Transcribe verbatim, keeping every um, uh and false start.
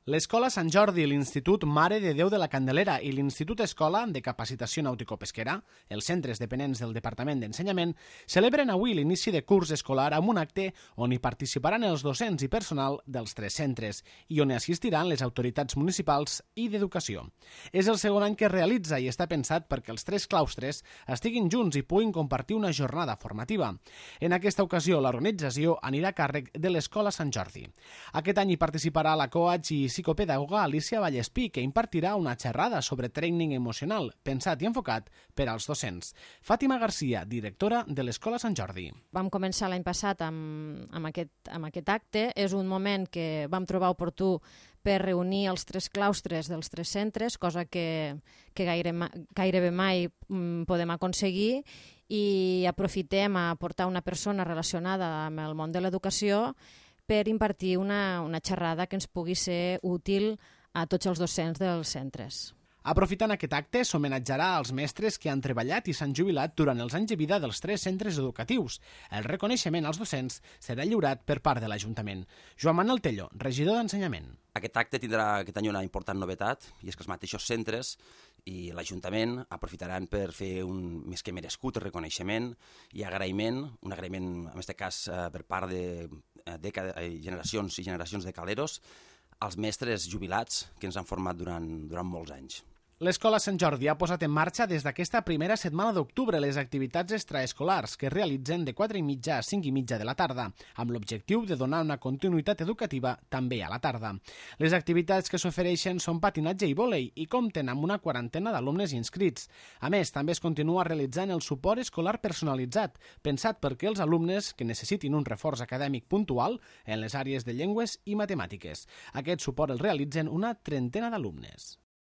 L'Escola Sant Jordi, l'Institut Mare de Déu de la Candelera i l'Institut Escola de Capacitació Nàutico-Pesquera, els centres dependents del Departament d'Ensenyament, celebren avui l'inici de curs escolar amb un acte on hi participaran els docents i personal dels tres centres i on hi assistiran les autoritats municipals i d'educació. És el segon any que es realitza i està pensat perquè els tres claustres estiguin junts i puguin compartir una jornada formativa. En aquesta ocasió, l'organització anirà a càrrec de l'Escola Sant Jordi. Aquest any hi participarà la coach i psicopedagoga Alicia Vallespí, que impartirà una xerrada sobre training emocional, pensat i enfocat per als docents. Fàtima Garcia, directora de l'Escola Sant Jordi. Vam començar l'any passat amb, amb, aquest, amb aquest acte. És un moment que vam trobar oportú per reunir els tres claustres dels tres centres, cosa que, que gaire, gairebé mai podem aconseguir, i aprofitem a portar una persona relacionada amb el món de l'educació per impartir una, una xerrada que ens pugui ser útil a tots els docents dels centres. Aprofitant aquest acte, s'homenatjarà als mestres que han treballat i s'han jubilat durant els anys de vida dels tres centres educatius. El reconeixement als docents serà lliurat per part de l'Ajuntament. Joan Manuel Tello, regidor d'Ensenyament. Aquest acte tindrà aquest any una important novetat, i és que els mateixos centres i l'Ajuntament aprofitaran per fer un més que merescut reconeixement i agraïment, un agraïment, en aquest cas, per part de, de generacions i generacions de caleros, als mestres jubilats que ens han format durant, durant molts anys. L'Escola Sant Jordi ha posat en marxa des d'aquesta primera setmana d'octubre les activitats extraescolars que es realitzen de quatre i mitja a cinc i mitja de la tarda, amb l'objectiu de donar una continuïtat educativa també a la tarda. Les activitats que s'ofereixen són patinatge i vòlei i compten amb una quarantena d'alumnes inscrits. A més, també es continua realitzant el suport escolar personalitzat, pensat perquè els alumnes que necessitin un reforç acadèmic puntual en les àrees de llengües i matemàtiques. Aquest suport el realitzen una trentena d'alumnes.